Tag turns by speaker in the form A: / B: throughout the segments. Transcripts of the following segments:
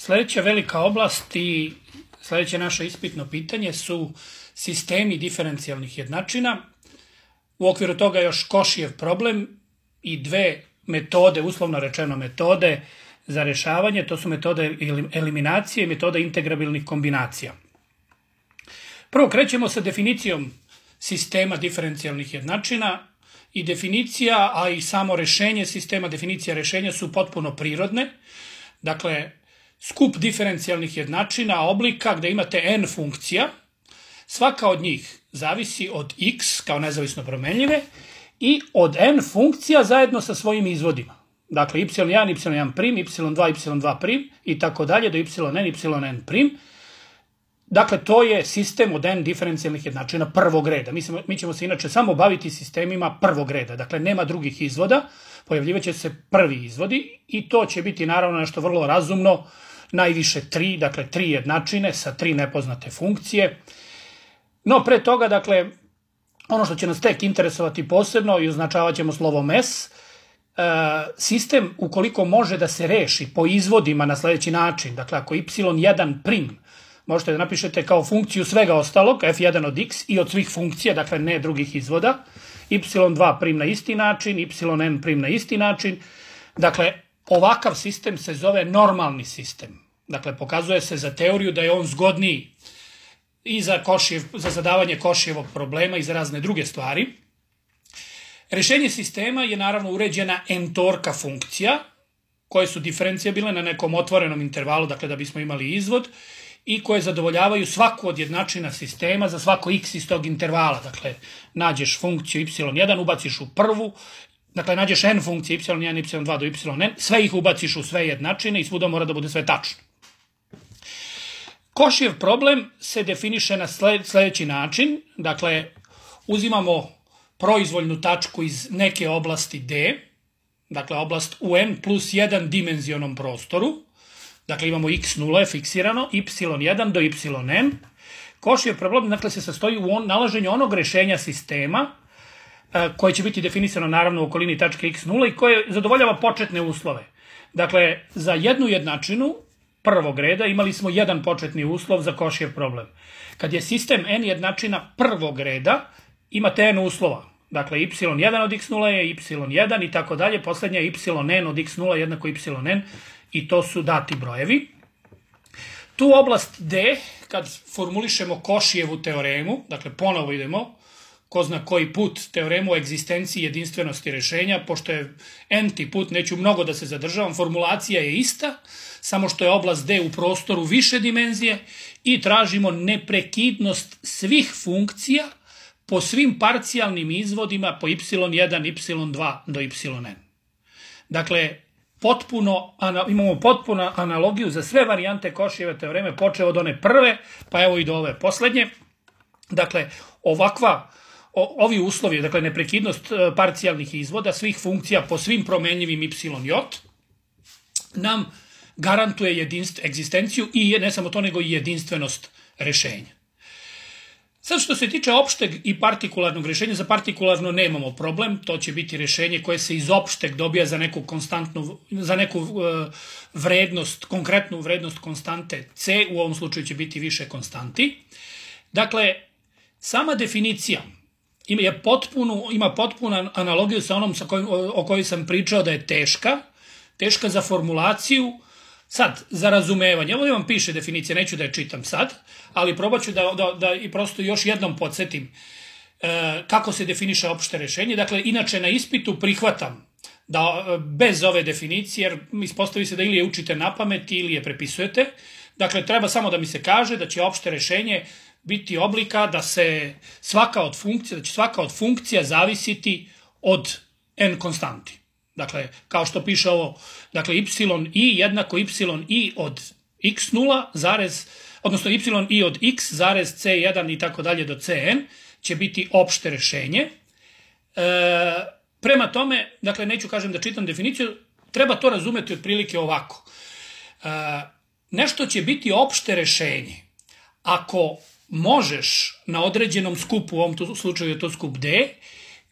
A: Sljedeća velika oblast i sljedeće naše ispitno pitanje su sistemi diferencijalnih jednačina. U okviru toga još Košijev problem i dve metode, uslovno rečeno metode za rješavanje, to su metode eliminacije i metoda integrabilnih kombinacija. Prvo krećemo sa definicijom sistema diferencijalnih jednačina i definicija, a i samo rješenje sistema, definicija rješenja su potpuno prirodne. Dakle, skup diferencijalnih jednačina oblika gdje imate n funkcija, svaka od njih zavisi od x kao nezavisno promenljive i od n funkcija zajedno sa svojim izvodima. Dakle, y1, y1', y2, y2' i tako dalje do yn, yn'. Dakle, to je sistem od n diferencijalnih jednačina prvog reda. Mi ćemo se inače samo baviti sistemima prvog reda. Dakle, nema drugih izvoda, pojavljivaće se prvi izvodi i to će biti naravno nešto vrlo razumno, najviše 3, dakle 3 jednačine sa 3 nepoznate funkcije. No, pre toga, dakle, ono što će nas tek interesovati posebno i označavat ćemo slovom S, sistem ukoliko može da se reši po izvodima na sljedeći način, dakle ako y1' možete da napišete kao funkciju svega ostalog, f1 od x i od svih funkcija, dakle ne drugih izvoda, y2' na isti način, yn' na isti način, dakle ovakav sistem se zove normalni sistem. Dakle, pokazuje se za teoriju da je on zgodniji i za zadavanje Košijevog problema i za razne druge stvari. Rješenje sistema je naravno uređena n-torka funkcija, koje su diferencijabilne na nekom otvorenom intervalu, dakle da bismo imali izvod, i koje zadovoljavaju svaku od jednačina sistema za svako x iz tog intervala. Dakle, nađeš funkciju y1, ubaciš u prvu, dakle nađeš n funkcije y1, y2 do yn, sve ih ubaciš u sve jednačine i svuda mora da bude sve tačno. Košijev problem se definiše na sljedeći način, dakle uzimamo proizvoljnu tačku iz neke oblasti D, dakle oblast u n plus 1 dimenzionom prostoru, dakle imamo x0 je fiksirano, y1 do yn. Košijev problem dakle, se sastoji u nalaženju onog rješenja sistema koje će biti definisano naravno u okolini tačke x0 i koje zadovoljava početne uslove. Dakle, za jednu jednačinu prvog reda imali smo jedan početni uslov za Košijev problem. Kad je sistem n jednačina prvog reda, imate n uslova. Dakle, y1 od x0 je y1 i tako dalje, posljednja je yn od x0 jednako yn i to su dati brojevi. Tu oblast D, kad formulišemo Košijevu teoremu, dakle ponovo idemo, ko zna koji put, teoremu o egzistenciji jedinstvenosti rješenja, pošto je n-ti put, neću mnogo da se zadržavam, formulacija je ista, samo što je oblast D u prostoru više dimenzije i tražimo neprekidnost svih funkcija po svim parcijalnim izvodima po y1, y2 do yn. Dakle, imamo potpuno analogiju za sve varijante Košijeve teoreme, počeo od one prve, pa evo i do ove posljednje. Dakle, ovi uslovi, dakle neprekidnost parcijalnih izvoda svih funkcija po svim promenljivim y, nam garantuje egzistenciju i ne samo to, nego i jedinstvenost rješenja. Sad što se tiče opšteg i partikularnog rješenja, za partikularno nemamo problem, to će biti rješenje koje se iz opšteg dobija za neku vrednost, konkretnu vrednost konstante c, u ovom slučaju će biti više konstanti. Dakle, sama definicija ima potpunu analogiju sa onom o kojoj sam pričao da je teška za formulaciju. Sad, za razumevanje, ovdje vam piše definicija, neću da je čitam sad, ali probat ću da i prosto još jednom podsjetim kako se definiše opšte rješenje. Dakle, inače na ispitu prihvatam da bez ove definicije, jer ispostavi se da ili je učite na pamet ili je prepisujete, dakle, treba samo da mi se kaže da će opšte rješenje biti oblika da će svaka od funkcija zavisiti od n konstanti. Dakle, kao što piše ovo, dakle, y jednako y od x0, odnosno y od x, c1 i tako dalje do cn će biti opšte rješenje. Prema tome, dakle, neću kažem da čitam definiciju, treba to razumeti otprilike ovako. Nešto će biti opšte rješenje ako možeš na određenom skupu, u ovom slučaju je to skup D,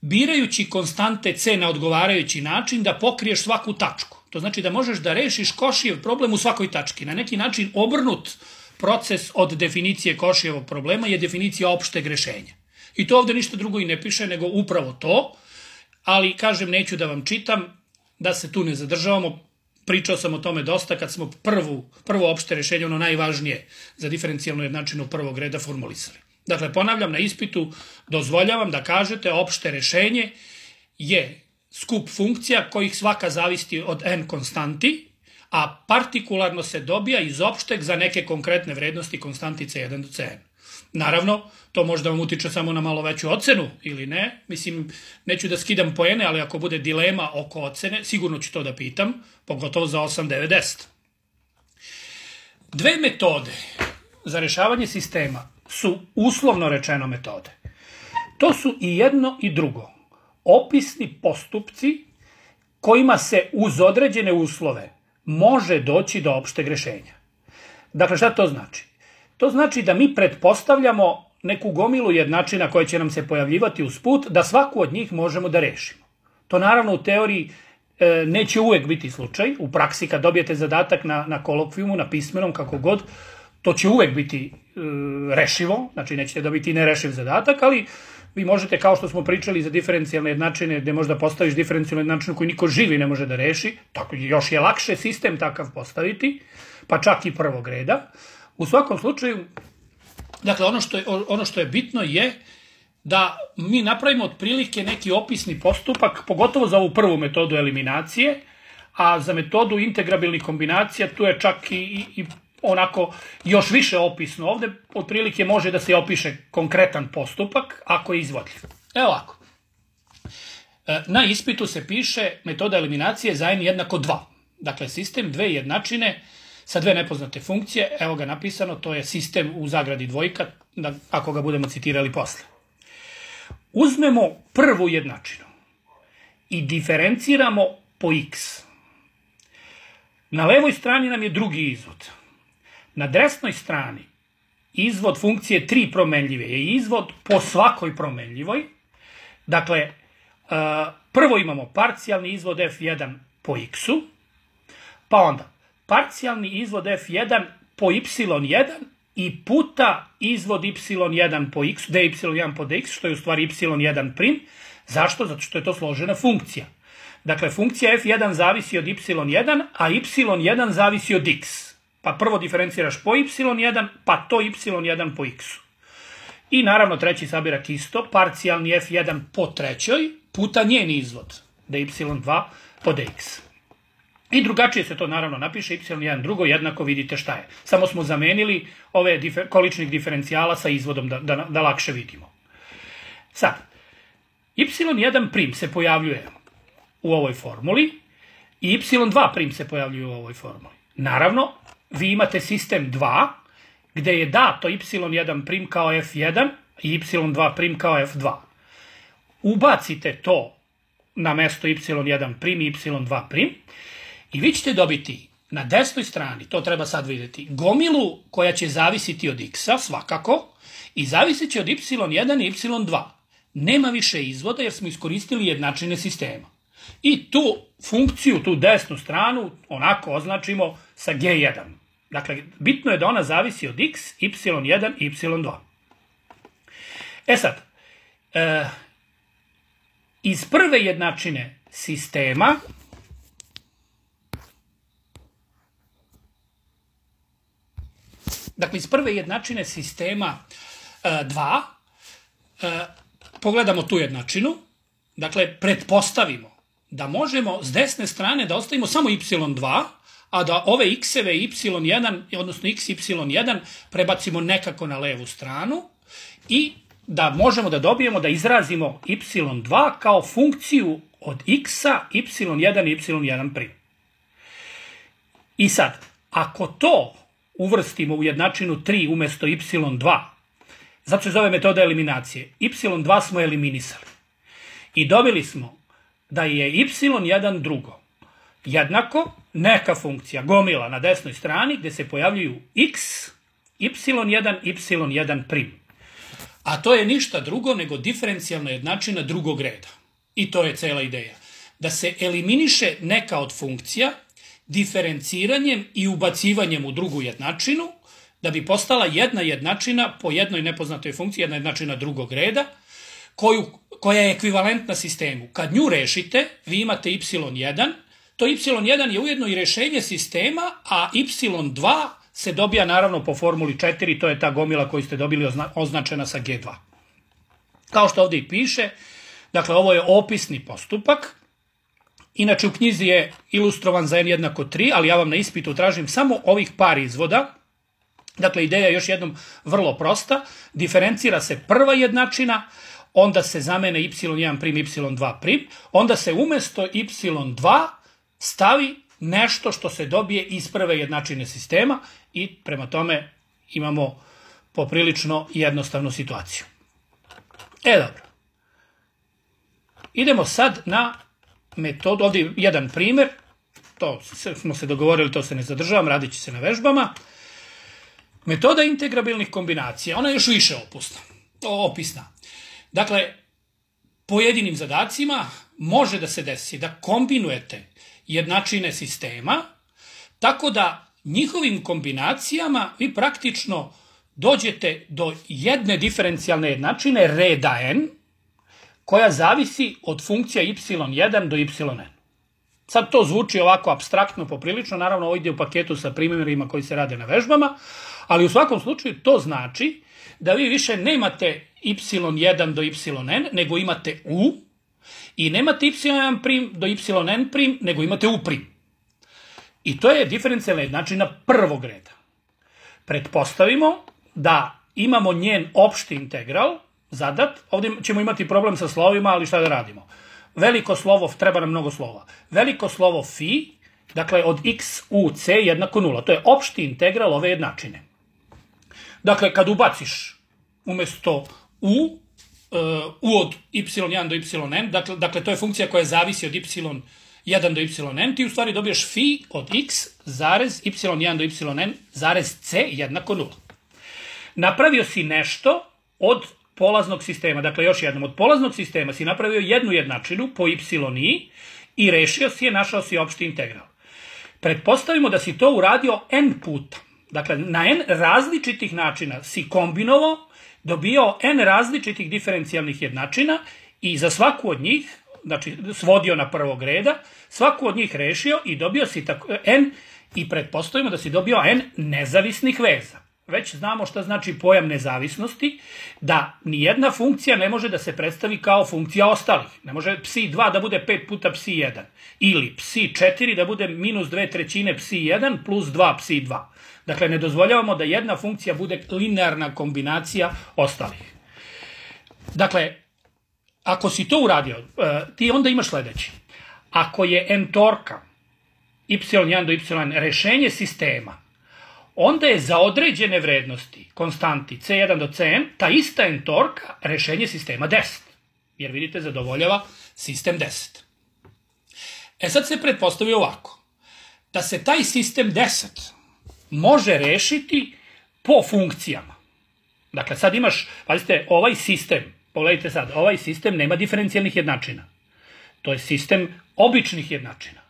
A: birajući konstante c na odgovarajući način da pokriješ svaku tačku. To znači da možeš da rešiš Košijev problem u svakoj tački. Na neki način obrnut proces od definicije Košijevog problema je definicija opšteg rešenja. I to ovde ništa drugo i ne piše nego upravo to, ali kažem neću da vam čitam, da se tu ne zadržavamo. Pričao sam o tome dosta kad smo prvo opšte rešenje, ono najvažnije za diferencijalnu jednačinu prvog reda formulisali. Dakle, ponavljam, na ispitu dozvoljavam da kažete opšte rešenje je skup funkcija kojih svaka zavisi od n konstanti, a partikularno se dobija iz opšteg za neke konkretne vrednosti konstanti C1 do Cn. Naravno, to možda vam utiče samo na malo veću ocenu ili ne. Mislim, neću da skidam poene, ali ako bude dilema oko ocene, sigurno ću to da pitam, pogotovo za 8, 9, 10. Dve metode za rešavanje sistema su uslovno rečeno metode. To su i jedno i drugo. Opisni postupci kojima se uz određene uslove može doći do opšteg rešenja. Dakle, šta to znači? To znači da mi pretpostavljamo neku gomilu jednačina koja će nam se pojavljivati usput, da svaku od njih možemo da rešimo. To naravno u teoriji neće uvek biti slučaj. U praksi kad dobijete zadatak na kolokvijumu, na pismenom, kako god, to će uvek biti rešivo, znači nećete dobiti nerešiv zadatak, ali vi možete, kao što smo pričali za diferencijalne jednačine, gde možda postaviš diferencijalnu jednačinu koju niko živi ne može da reši, tako još je lakše sistem takav postaviti, pa čak i prvog reda. U svakom slučaju, dakle, ono što je bitno je da mi napravimo otprilike neki opisni postupak, pogotovo za ovu prvu metodu eliminacije, a za metodu integrabilnih kombinacija tu je čak i onako još više opisno. Ovde otprilike može da se opiše konkretan postupak ako je izvodljiv. Evo ovako. Na ispitu se piše metoda eliminacije za n jednako 2. Dakle, sistem dve jednačine sa dve nepoznate funkcije. Evo ga napisano, to je sistem u zagradi dvojka, ako ga budemo citirali posle. Uzmemo prvu jednačinu i diferenciramo po x. Na levoj strani nam je drugi izvod. Na desnoj strani izvod funkcije 3 promenljive je izvod po svakoj promenljivoj. Dakle, prvo imamo parcijalni izvod f1 po x-u, pa onda parcijalni izvod f1 po y1 i puta izvod y1 po x, dy1 po dx, što je u stvari y1 prim. Zašto? Zato što je to složena funkcija. Dakle, funkcija f1 zavisi od y1, a y1 zavisi od x. Pa prvo diferenciraš po y1, pa to y1 po x-u. I naravno treći sabirak isto, parcijalni f1 po trećoj, puta njen izvod, dy2 po dx. I drugačije se to naravno napiše, y1 drugo, jednako vidite šta je. Samo smo zamenili ove količnih diferencijala sa izvodom da lakše vidimo. Sad, y1 prim se pojavljuje u ovoj formuli i y2 prim se pojavljuje u ovoj formuli. Naravno, vi imate sistem 2, gde je dato y1 prim kao f1 i y2 prim kao f2. Ubacite to na mesto y1 prim i y2 prim i vi ćete dobiti na desnoj strani, to treba sad vidjeti, gomilu koja će zavisiti od x-a svakako i zavisit će od y1 i y2. Nema više izvoda jer smo iskoristili jednačine sistema. I tu funkciju, tu desnu stranu, onako označimo sa g1. Dakle, bitno je da ona zavisi od x, y1 i y2. E sad, iz prve jednačine sistema sistema 2, pogledamo tu jednačinu, dakle, pretpostavimo da možemo s desne strane da ostavimo samo y2, a da ove x-eve y1, odnosno x y1, prebacimo nekako na levu stranu i da možemo da dobijemo da izrazimo y2 kao funkciju od x-a, y1 i y1 prim. I sad, ako to uvrstimo u jednačinu 3 umesto y2, zato se zove metoda eliminacije, y2 smo eliminisali i dobili smo da je y1 drugo jednako neka funkcija, gomila na desnoj strani gde se pojavljuju x, y1, y1 prim. A to je ništa drugo nego diferencijalna jednačina drugog reda. I to je cela ideja. Da se eliminiše neka od funkcija diferenciranjem i ubacivanjem u drugu jednačinu, da bi postala jedna jednačina po jednoj nepoznatoj funkciji, jedna jednačina drugog reda, koja je ekvivalentna sistemu. Kad nju rešite, vi imate y1, to y1 je ujedno i rešenje sistema, a y2 se dobija naravno po formuli 4, to je ta gomila koju ste dobili označena sa G2. Kao što ovdje i piše, dakle ovo je opisni postupak, inače u knjizi je ilustrovan za n jednako 3, ali ja vam na ispitu tražim samo ovih par izvoda. Dakle, ideja je još jednom vrlo prosta, diferencira se prva jednačina, onda se zamene y1', y2', onda se umesto y2 stavi nešto što se dobije iz prve jednačine sistema i prema tome imamo poprilično jednostavnu situaciju. Dobro. Idemo sad na metodu, ovdje je jedan primjer, to smo se dogovorili, to se ne zadržavam, radit će se na vežbama. Metoda integrabilnih kombinacija, ona je još više opisna. Dakle, pojedinim zadacima može da se desi da kombinujete jednačine sistema, tako da njihovim kombinacijama vi praktično dođete do jedne diferencijalne jednačine reda n, koja zavisi od funkcija y1 do yn. Sad to zvuči ovako apstraktno poprilično, naravno ovo ide u paketu sa primjerima koji se rade na vežbama, ali u svakom slučaju to znači da vi više nemate y1 do yn, nego imate u, i nemate y1' do yn', nego imate u'. I to je diferencijalna jednačina prvog reda. Pretpostavimo da imamo njen opšti integral zadat, ovdje ćemo imati problem sa slovima, ali šta da radimo? Veliko slovo, treba nam mnogo slova. Veliko slovo phi, dakle od x u c jednako 0. To je opšti integral ove jednačine. Dakle, kad ubaciš umjesto u od y1 do yn, dakle to je funkcija koja zavisi od y1 do yn, ti u stvari dobiješ phi od x zarez y1 do yn zarez c jednako 0. Napravio si nešto od polaznog sistema, dakle još jednom, od polaznog sistema si napravio jednu jednačinu po y i rešio si je, našao si opšti integral. Pretpostavimo da si to uradio n puta. Dakle, na n različitih načina si kombinovao, dobio n različitih diferencijalnih jednačina i za svaku od njih, znači svodio na prvog reda, svaku od njih rešio i dobio si n, i pretpostavimo da si dobio n nezavisnih veza. Već znamo šta znači pojam nezavisnosti, da nijedna funkcija ne može da se predstavi kao funkcija ostalih. Ne može psi2 da bude 5 puta psi1, ili psi4 da bude minus 2/3 psi1 plus 2 psi2. Dakle, ne dozvoljavamo da jedna funkcija bude linearna kombinacija ostalih. Dakle, ako si to uradio, ti onda imaš sledeći. Ako je entorka y1 do yn rešenje sistema, onda je za određene vrednosti konstanti c1 do cn ta ista entorka rešenje sistema 10. Jer vidite, zadovoljava sistem 10. Sad se pretpostavi ovako. Da se taj sistem 10 može rešiti po funkcijama. Dakle, sad imaš, pazite, ovaj sistem, pogledajte sad, ovaj sistem nema diferencijalnih jednačina. To je sistem običnih jednačina.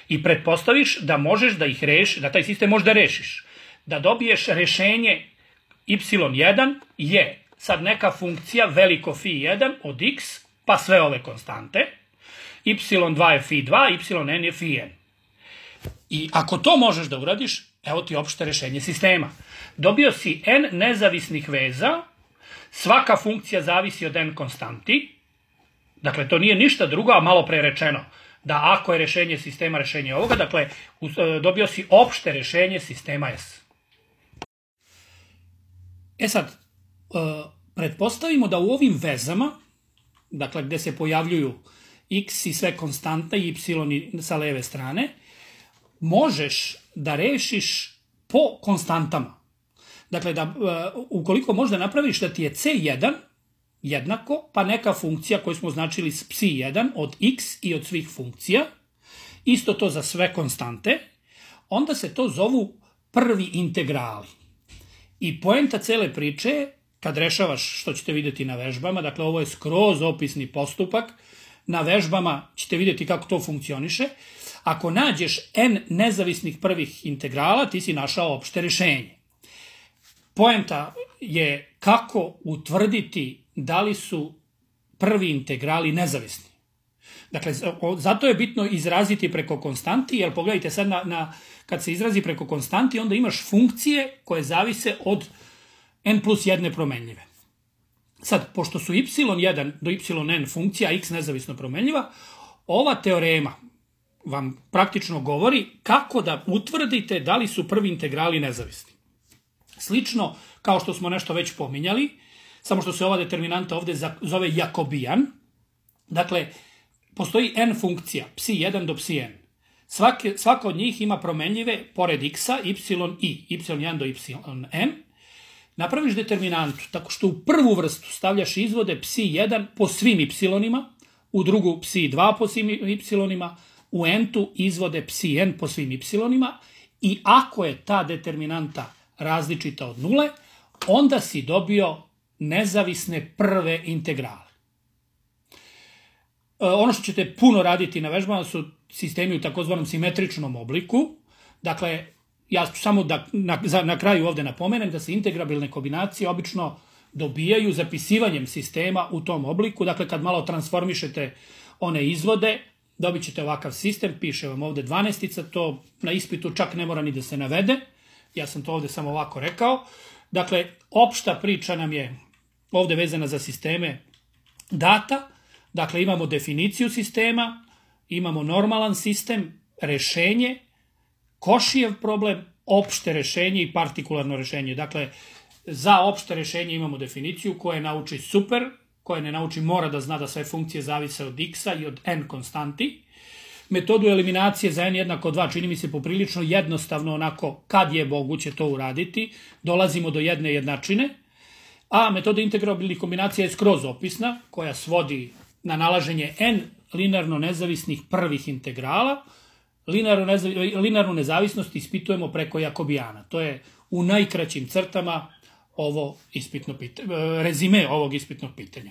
A: I pretpostaviš da možeš da ih rešiš, da taj sistem možeš da rešiš. Da dobiješ rešenje y1 je sad neka funkcija veliko phi1 od x, pa sve ove konstante, y2 je phi2, yn je phi1. I ako to možeš da uradiš, evo ti opšte rešenje sistema. Dobio si n nezavisnih veza, svaka funkcija zavisi od n konstanti, dakle to nije ništa drugo, a malo pre rečeno, da ako je rešenje sistema rešenje ovoga, dakle dobio si opšte rešenje sistema S. Sad, pretpostavimo da u ovim vezama, dakle gde se pojavljuju x i sve konstante i y sa leve strane, možeš da rešiš po konstantama. Dakle, da, ukoliko možda napraviš da ti je c1 jednako, pa neka funkcija koju smo označili s psi1 od x i od svih funkcija, isto to za sve konstante, onda se to zovu prvi integrali. I poenta cele priče je, kad rešavaš, što ćete vidjeti na vežbama, dakle ovo je skroz opisni postupak, na vežbama ćete vidjeti kako to funkcioniše. Ako nađeš n nezavisnih prvih integrala, ti si našao opšte rješenje. Poenta je kako utvrditi da li su prvi integrali nezavisni. Dakle, zato je bitno izraziti preko konstanti, jer pogledajte sad kad se izrazi preko konstanti, onda imaš funkcije koje zavise od n plus jedne promenljive. Sad, pošto su y1 do yn funkcija, x nezavisno promenljiva, ova teorema vam praktično govori kako da utvrdite da li su prvi integrali nezavisni. Slično kao što smo nešto već pominjali, samo što se ova determinanta ovdje zove Jacobian. Dakle, postoji n funkcija, psi1 do psi n. Svaka od njih ima promenljive, pored x-a, y i, y1 do yn. Napraviš determinantu tako što u prvu vrstu stavljaš izvode psi1 po svim y-ima, u drugu psi2 po svim y-ima, u n-tu izvode psi-n po svim y-ima i ako je ta determinanta različita od nule, onda si dobio nezavisne prve integrale. Ono što ćete puno raditi na vežbama su sistemi u takozvanom simetričnom obliku. Dakle, ja ću samo da na kraju ovdje napomenem da se integrabilne kombinacije obično dobijaju zapisivanjem sistema u tom obliku. Dakle, kad malo transformišete one izvode, dobit ćete ovakav sistem, piše vam ovdje 12-ica, to na ispitu čak ne mora ni da se navede. Ja sam to ovdje samo ovako rekao. Dakle, opšta priča nam je ovdje vezana za sisteme data. Dakle, imamo definiciju sistema, imamo normalan sistem, rešenje, Košijev problem, opšte rešenje i partikularno rešenje. Dakle, za opšte rešenje imamo definiciju koje nauči super, koje ne nauči mora da zna da sve funkcije zavise od x-a i od n konstanti. Metodu eliminacije za n jednako 2 čini mi se poprilično jednostavno onako kad je moguće to uraditi. Dolazimo do jedne jednačine. A metoda integrabilnih kombinacija je skroz opisna koja svodi na nalaženje n linearno nezavisnih prvih integrala. Linearnu nezavisnost ispitujemo preko Jakobijana. To je u najkraćim crtama rezime ovog ispitnog pitanja.